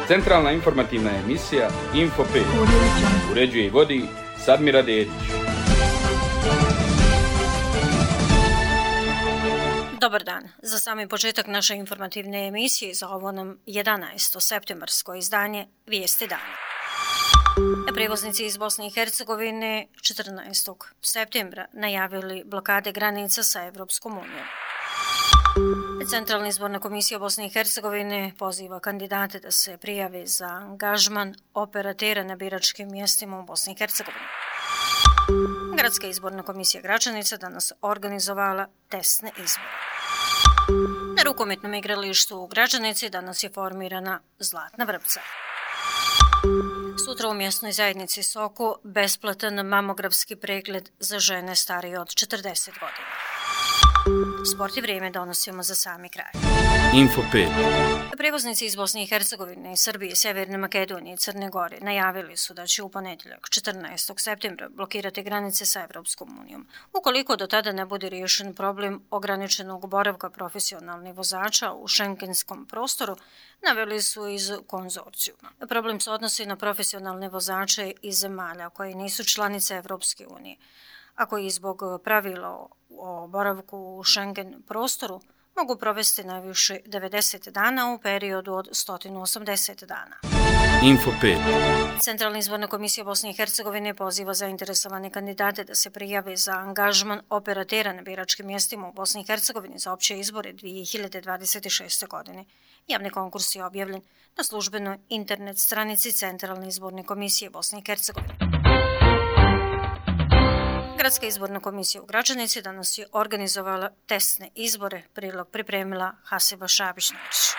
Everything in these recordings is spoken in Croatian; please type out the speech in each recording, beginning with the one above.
Centralna informativna emisija Info 5. Uređuje i vodi Sadmira Dedić. Dobar dan. Za sami početak naše informativne emisije za ovo nam 11. septembarsko izdanje Vijesti dana. Prevoznici iz Bosne i Hercegovine 14. septembra najavili blokade granica sa Evropskom unijom. Centralna izborna komisija Bosne i Hercegovine poziva kandidate da se prijave za angažman operatera na biračkim mjestima u Bosni i Hercegovini. Gradska izborna komisija Gračanica danas organizovala testne izbore. Na rukometnom igralištu u Gračanici danas je formirana Zlatna vrpca. Sutra u mjesnoj zajednici Soko besplatan mamografski pregled za žene starije od 40 godina. Sport i vrijeme donosimo za sami kraj. Info 5. Prevoznici iz Bosne i Hercegovine, Srbije, Sjeverne Makedonije i Crne Gore najavili su da će u ponedjeljak 14. septembra blokirati granice sa Evropskom unijom. Ukoliko do tada ne bude riješen problem ograničenog boravka profesionalnih vozača u šengenskom prostoru, naveli su iz konzorcijuma. Problem se odnosi na profesionalne vozače iz zemalja koje nisu članice Evropske unije, a koji zbog pravila o boravku u Schengen prostoru mogu provesti najviše 90 dana u periodu od 180 dana. Info 5. Centralna izborna komisija Bosne i Hercegovine poziva zainteresovane kandidate da se prijave za angažman operatera na biračkim mjestima u Bosni i Hercegovini za opće izbore 2026. godine. Javni konkurs je objavljen na službenoj internet stranici Centralne izborne komisije Bosne i Hercegovine. Gradska izborna komisija u Gračanici danas je organizovala testne izbore, prilog pripremila Hasiba Šabić-Nović.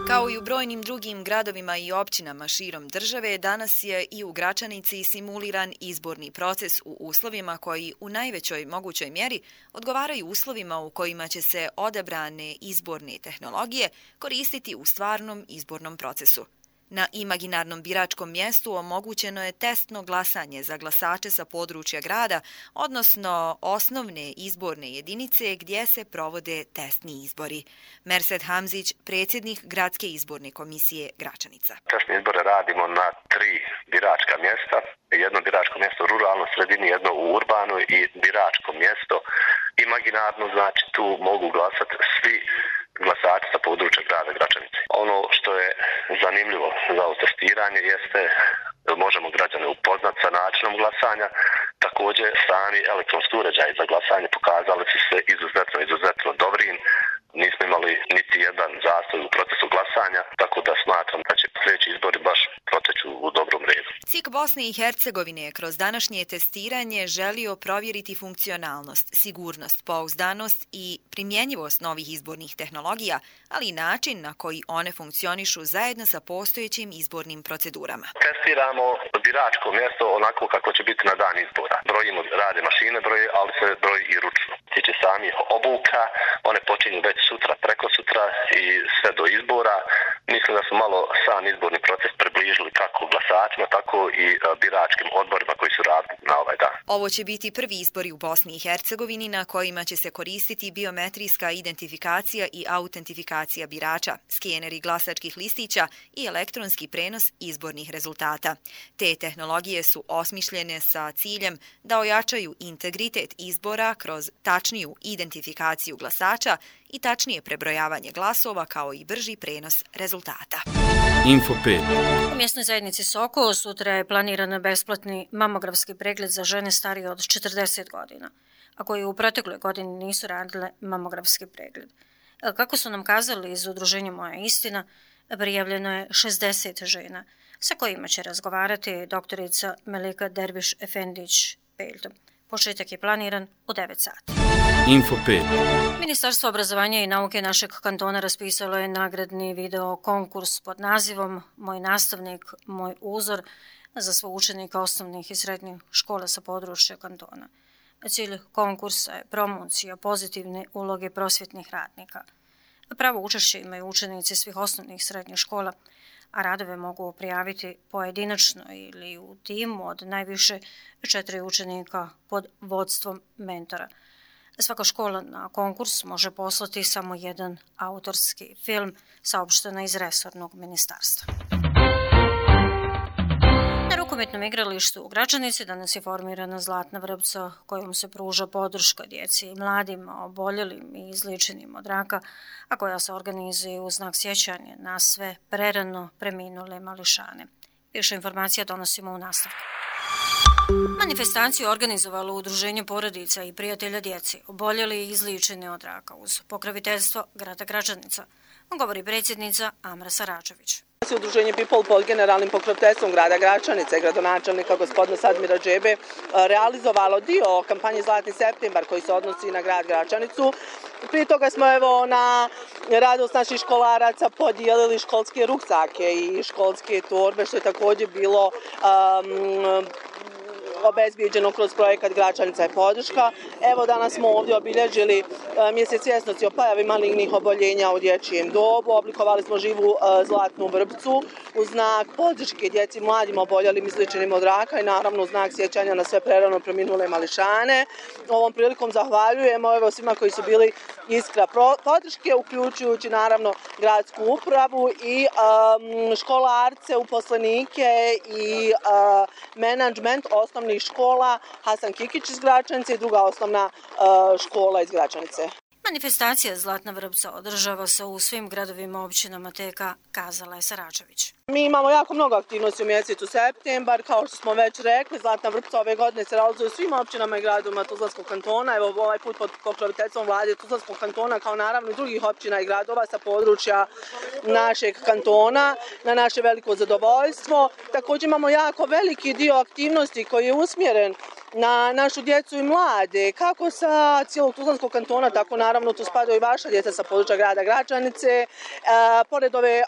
Kao i u brojnim drugim gradovima i općinama širom države, danas je i u Gračanici simuliran izborni proces u uslovima koji u najvećoj mogućoj mjeri odgovaraju uslovima u kojima će se odabrane izborne tehnologije koristiti u stvarnom izbornom procesu. Na imaginarnom biračkom mjestu omogućeno je testno glasanje za glasače sa područja grada, odnosno osnovne izborne jedinice gdje se provode testni izbori. Mersed Hamzić, predsjednik Gradske izborne komisije Gračanica. Testne izbore radimo na 3 biračka mjesta. Jedno biračko mjesto u ruralnoj sredini, jedno u urbanoj i biračko mjesto imaginarno, znači tu mogu glasati svi glasači sa područja grada Gračanice. Ono što je zanimljivo za ovo testiranje jeste možemo građane upoznati sa načinom glasanja. Također sami elektronski uređaji za glasanje pokazali su se izuzetno dobrim. Nismo imali niti jedan zastoj u procesu glasanja, tako da smatram da će sljedeći izbori baš proteći u dobrom redu. CIK Bosne i Hercegovine je kroz današnje testiranje želio provjeriti funkcionalnost, sigurnost, pouzdanost i primjenjivost novih izbornih tehnologija, ali i način na koji one funkcionišu zajedno sa postojećim izbornim procedurama. Testiramo biračko mjesto onako kako će biti na dan izbora. Brojimo, rade mašine broje, ali se broji i ručno. Tiče samih obuka, one počinju već sutra, preko sutra i sve do izbora. Mislim da su malo sam izborni proces približili kako glasačima, tako i biračkim odborima koji su radili na ovaj dan. Ovo će biti prvi izbori u Bosni i Hercegovini na kojima će se koristiti biometrijska identifikacija i autentifikacija birača, skeneri glasačkih listića i elektronski prenos izbornih rezultata. Te tehnologije su osmišljene sa ciljem da ojačaju integritet izbora kroz tačniju identifikaciju glasača i tačnije prebrojavanje glasova kao i brži prenos rezultata. Info 5. U mjesnoj zajednici Soko sutra je planiran besplatni mamografski pregled za žene starije od 40 godina, a koji u protekloj godini nisu radile mamografski pregled. Kako su nam kazali iz udruženja Moja istina, prijavljeno je 60 žena, sa kojima će razgovarati doktorica Melika Derviš-Efendić-Peljtom. Početak je planiran u 9 sati. Info 5. Ministarstvo obrazovanja i nauke našeg kantona raspisalo je nagradni video konkurs pod nazivom Moj nastavnik, moj uzor za sve učenike osnovnih i srednjih škola sa područja kantona. Cilj konkursa je promocija pozitivne uloge prosvjetnih radnika. Pravo učešće imaju učenici svih osnovnih i srednjih škola, a radove mogu prijaviti pojedinačno ili u timu od najviše 4 učenika pod vodstvom mentora. Svaka škola na konkurs može poslati samo jedan autorski film, saopšteno iz resornog ministarstva. Na rukometnom igralištu u Gračanici danas je formirana Zlatna vrpca kojom se pruža podrška djeci i mladima oboljelim i izliječenim od raka, a koja se organizuje u znak sjećanja na sve prerano preminule mališane. Više informacija donosimo u nastavku. Manifestaciju organizovalo Udruženje porodica i prijatelja djeci oboljeli i izliječeni od raka uz pokroviteljstvo grada Gračanica, govori predsjednica Amra Saračević. Udruženje People pod generalnim pokroviteljstvom grada Gračanice i gradonačelnika gospodina Sadmira Džebe realizovalo dio kampanje Zlatni septembar koji se odnosi na grad Gračanicu. Prije toga smo na radost naših školaraca podijelili školske ruksake i školske torbe, što je također bilo obezbijeđeno kroz projekat Gračanica je podrška. Evo danas smo ovdje obilježili mjesec svjesnosti o pojavi malignih oboljenja u dječjem dobu. Oblikovali smo živu zlatnu vrpcu u znak podrške djeci mladim oboljelim izliječenim od raka i naravno u znak sjećanja na sve prerano preminule mališane. Ovom prilikom zahvaljujemo svima koji su bili iskra podrške, uključujući naravno gradsku upravu i školarce, uposlenike i menadžment osnovnih škola Hasan Kikić iz Gračanice i druga osnovna škola iz Gračanice. Manifestacija Zlatna vrpca održava se u svim gradovima općinama TK, kazala je Saračević. Mi imamo jako mnogo aktivnosti u mjesecu septembar, kao što smo već rekli, Zlatna vrpca ove godine se realizuje u svim općinama i gradovima Tuzlanskog kantona, evo ovaj put pod pokroviteljstvom vlade Tuzlanskog kantona, kao naravno i drugih općina i gradova sa područja našeg kantona, na naše veliko zadovoljstvo. Također imamo jako veliki dio aktivnosti koji je usmjeren na našu djecu i mlade, kako sa cijelog Tuzlanskog kantona, tako naravno tu spadaju i vaša djeca sa područja grada Gračanice, pored ove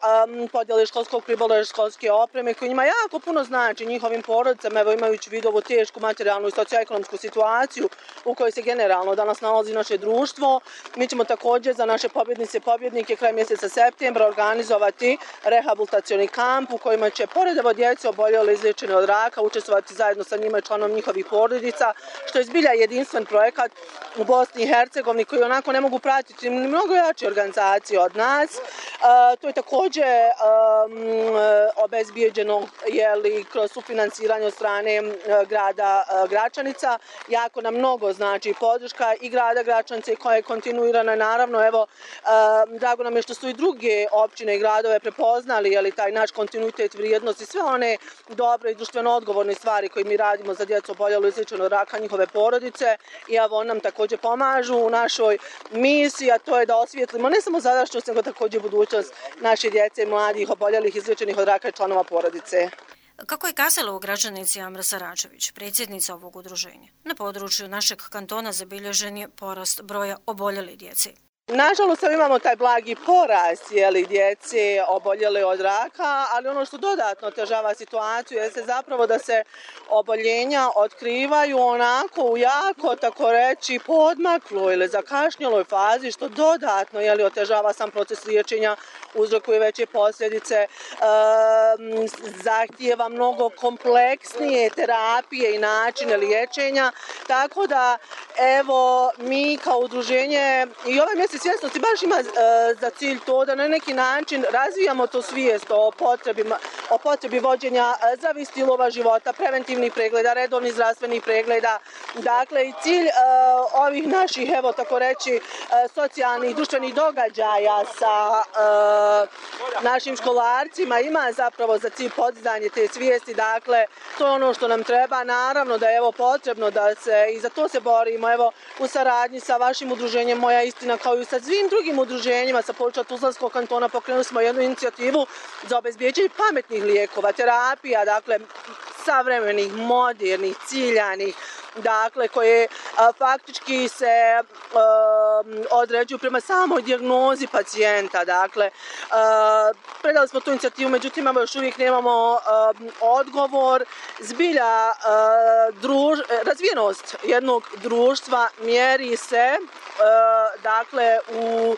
podjele školskog pribora, školske opreme, koji njima jako puno znači njihovim porodicama, evo imajući vid ovu tešku materijalnu i socioekonomsku situaciju u kojoj se generalno danas nalazi naše društvo. Mi ćemo također za naše pobjednice i pobjednike kraj mjeseca septembra organizovati rehabilitacioni kamp u kojima će pored evo djece oboljeli izliječeni od raka učestvovati zajedno sa njima i članom njihovih porodica, što je zbilja jedinstven projekat u Bosni i Hercegovini koji onako ne mogu pratiti mnogo jače organizacije od nas. To je također obezbijeđeno kroz sufinansiranje od strane grada Gračanica. Jako nam mnogo znači podrška i grada Gračanice koja je kontinuirana. Naravno, evo, drago nam je što su i druge općine i gradove prepoznali taj naš kontinuitet vrijednosti, sve one dobre i društveno odgovorne stvari koje mi radimo za djecu oboljelu izliječenu od raka, njihove porodice, i evo nam također pomažu u našoj misiji, a to je da osvijetlimo ne samo sadašnjost, nego također budućnost naše djece i mladih oboljelih izliječenih od raka i članova porodice. Kako je kazala u Gračanici Amra Saračević, predsjednica ovog udruženja, na području našeg kantona zabilježen je porast broja oboljele djece. Nažalost, imamo taj blagi porast djece oboljele od raka, ali ono što dodatno otežava situaciju jeste zapravo da se oboljenja otkrivaju onako u jako, tako reći, poodmakloj ili zakašnjeloj fazi, što dodatno otežava sam proces liječenja, uzrokuje veće posljedice, zahtijeva mnogo kompleksnije terapije i načine liječenja, tako da evo mi kao udruženje i ovaj mjesec svjesnosti baš ima za cilj to da na neki način razvijamo to svijest o potrebi vođenja zdravih stilova života, preventivnih pregleda, redovnih zdravstvenih pregleda. Dakle, i cilj ovih naših, evo tako reći, socijalnih, društvenih događaja sa našim školarcima ima zapravo za cilj podizanje te svijesti. Dakle, to je ono što nam treba. Naravno da je evo potrebno da se i za to se borimo. Evo, u saradnji sa vašim udruženjem Moja istina, kao i sa svim drugim udruženjima sa područja Tuzlanskog kantona, pokrenuli smo jednu inicijativu za obezbijeđenje pametnih lijekova, terapija, dakle, savremenih, modernih, ciljanih, dakle, koje faktički se određuju prema samoj dijagnozi pacijenta. Dakle, predali smo tu inicijativu, međutim, još uvijek nemamo odgovor. Zbilja, razvijenost jednog društva mjeri se, dakle, u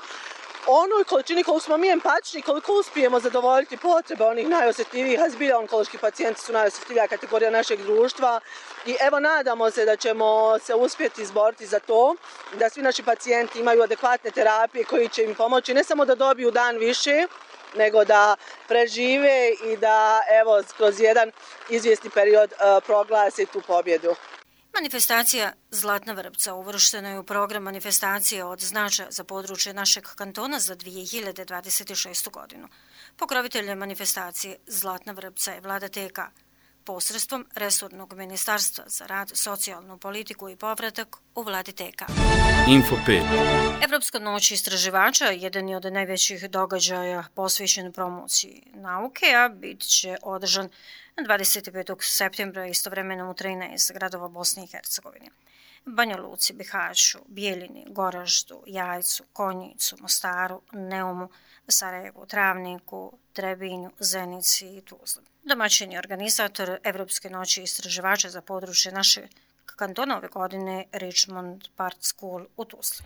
onoj količini koliko smo mi empatični, koliko uspijemo zadovoljiti potrebe onih najosjetljivijih, a zbilja onkološki pacijenti su najosjetljivija kategorija našeg društva i evo nadamo se da ćemo se uspjeti izboriti za to, da svi naši pacijenti imaju adekvatne terapije koji će im pomoći ne samo da dobiju dan više, nego da prežive i da evo kroz jedan izvjesni period proglase tu pobjedu. Manifestacija Zlatna vrpca uvrštena je u program manifestacije od značaja za područje našeg kantona za 2026. godinu. Pokrovitelj manifestacije Zlatna vrpca je vlada TK, posredstvom resornog ministarstva za rad, socijalnu politiku i povratak u vladi TK. Info 5. Evropska noć istraživača jedan je od najvećih događaja posvećen promociji nauke, a bit će održan 25. septembra istovremeno u 13 gradova Bosne i Hercegovine. Banja Luci, Bihaću, Bijeljini, Goraždu, Jajcu, Konjicu, Mostaru, Neumu, Sarajevu, Travniku, Trebinju, Zenici i Tuzli. Domaćin je organizator Evropske noći istraživača za područje našeg kantona ove godine Richmond Park School u Tuzli.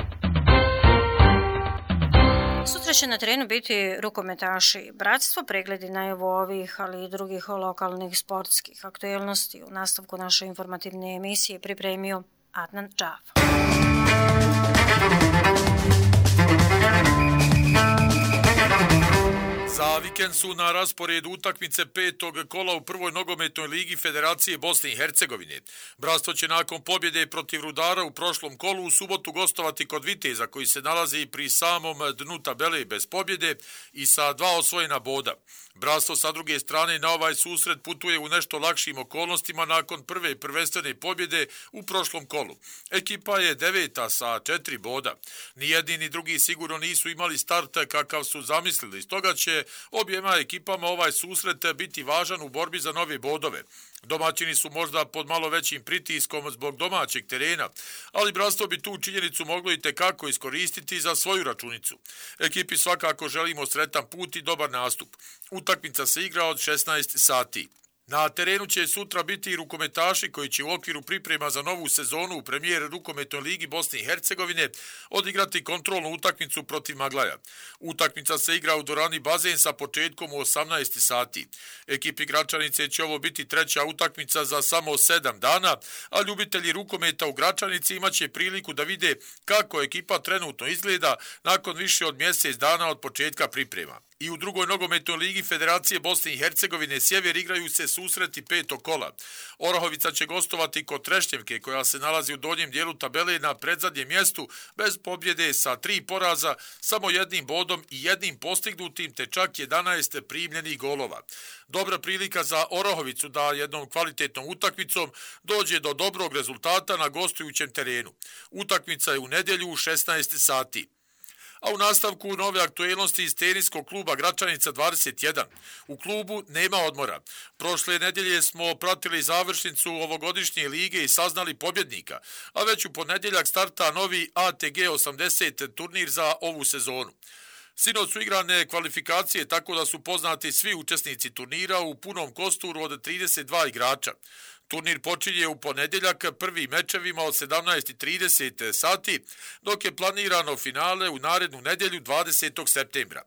Sutra će na terenu biti rukometaši bratstvo, pregledi najavu ovih, ali i drugih lokalnih sportskih aktuelnosti. U nastavku naše informativne emisije pripremio Adnan Džaf. Za vikend su na rasporedu utakmice petog kola u prvoj nogometnoj ligi Federacije Bosne i Hercegovine. Bratstvo će nakon pobjede protiv Rudara u prošlom kolu u subotu gostovati kod Viteza koji se nalazi pri samom dnu tabele bez pobjede i sa 2 osvojena boda. Bratstvo sa druge strane na ovaj susret putuje u nešto lakšim okolnostima nakon prve prvenstvene pobjede u prošlom kolu. Ekipa je 9. sa 4 boda. Ni jedni ni drugi sigurno nisu imali start kakav su zamislili, stoga će objema ekipama ovaj susret biti važan u borbi za nove bodove. Domaćini su možda pod malo većim pritiskom zbog domaćeg terena, ali bratstvo bi tu činjenicu moglo i tekako iskoristiti za svoju računicu. Ekipi svakako želimo sretan put i dobar nastup. Utakmica se igra od 16 sati. Na terenu će sutra biti i rukometaši koji će u okviru priprema za novu sezonu u premijer rukometnoj ligi Bosne i Hercegovine odigrati kontrolnu utakmicu protiv Maglaja. Utakmica se igra u dvorani Bazen sa početkom u 18 sati. Ekipi Gračanice će ovo biti treća utakmica za samo 7 dana, a ljubitelji rukometa u Gračanici imaće priliku da vide kako ekipa trenutno izgleda nakon više od mjesec dana od početka priprema. I u drugoj nogometnoj ligi Federacije Bosne i Hercegovine Sjever igraju se susreti petog kola. Orahovica će gostovati kod Trešnjevke koja se nalazi u donjem dijelu tabele na predzadnjem mjestu bez pobjede sa 3 poraza, samo 1 bodom i 1 postignutim te čak 11 primljenih golova. Dobra prilika za Orahovicu da jednom kvalitetnom utakmicom dođe do dobrog rezultata na gostujućem terenu. Utakmica je u nedjelju u 16 sati. A u nastavku nove aktuelnosti iz teniskog kluba Gračanica 21. U klubu nema odmora. Prošle nedjelje smo pratili završnicu ovogodišnje lige i saznali pobjednika, a već u ponedjeljak starta novi ATG 80 turnir za ovu sezonu. Sinoć su igrane kvalifikacije tako da su poznati svi učesnici turnira u punom kosturu od 32 igrača. Turnir počinje u ponedjeljak prvim mečevima od 17:30 sati, dok je planirano finale u narednu nedjelju 20. septembra.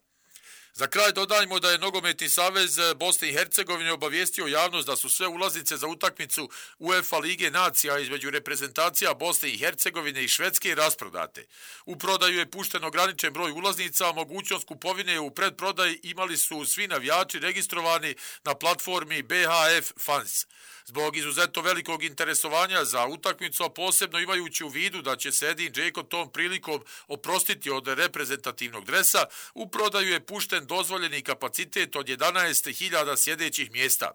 Za kraj dodajmo da je Nogometni savez Bosne i Hercegovine obavijestio javnost da su sve ulaznice za utakmicu UEFA Lige nacija između reprezentacija Bosne i Hercegovine i Švedske rasprodate. U prodaju je pušten ograničen broj ulaznica, a mogućnost kupovine u predprodaji imali su svi navijači registrovani na platformi BHF Fans. Zbog izuzetno velikog interesovanja za utakmicu, a posebno imajući u vidu da će se Edin Džeko tom prilikom oprostiti od reprezentativnog dresa, u prodaju je pušten dozvoljeni kapacitet od 11.000 sjedećih mjesta.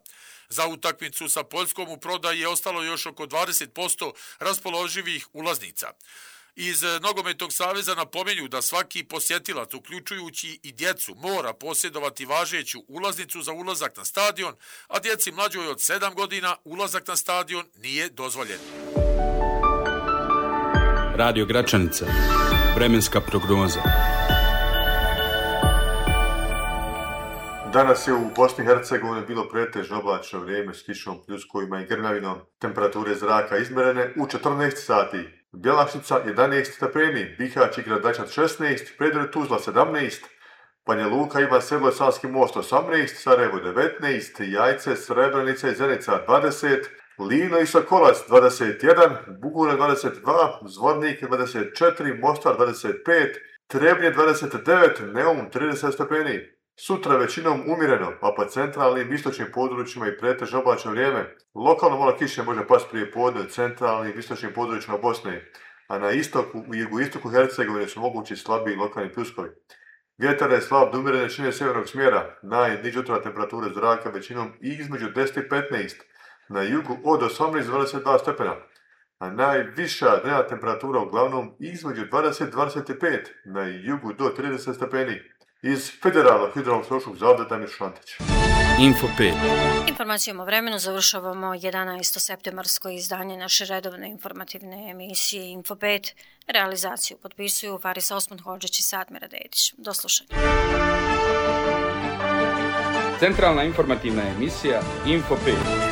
Za utakmicu sa Poljskom u prodaji je ostalo još oko 20% raspoloživih ulaznica. Iz Nogometnog saveza napominju da svaki posjetilac, uključujući i djecu, mora posjedovati važeću ulaznicu za ulazak na stadion, a djeci mlađoj od 7 godina ulazak na stadion nije dozvoljen. Radio Gračanica. Vremenska prognoza. Danas je u Bosni i Hercegovini bilo pretežno oblačno vrijeme s kišom, pljuskovima i grmljavinom. Temperature zraka izmjerene u 14 sati. Bjelašnica 11 stepeni, Bihać i Gradačac 16, Prijedor i Tuzla 17, Banja Luka, Ivan Seblo i Savski Most 18, Sarajevo 19, Jajce, Srebrenica i Zenica 20, Livno i Sokolac 21, Bugune 22, Zvornik 24, Mostar 25, Trebnje 29, Neum 30 stepeni. Sutra većinom umjereno, a po centralnim istočnim područjima i pretežno oblačno vrijeme. Lokalno malo kiše može pasti prije podne u centralnim istočnim područjima Bosne, a na istoku i jugoistoku Hercegovine su mogući slabiji lokalni pljuskovi. Vjetar je slab do umjerene širine sjevernog smjera, najniža jutarnja temperatura zraka većinom između 10 i 15, na jugu od 18 do 22 stepena, a najviša dnevna temperatura uglavnom između 20 i 25, na jugu do 30 stepeni. Iz Federalnog hidrološkog zavoda Damir Šantić. Info 5. Informacijom o vremenu završavamo 11. septembarsko izdanje naše redovne informativne emisije Info 5. Realizaciju potpisuju Faris Osman Hodžić i Sadmira Dedić. Do slušanja. Centralna informativna emisija Info 5.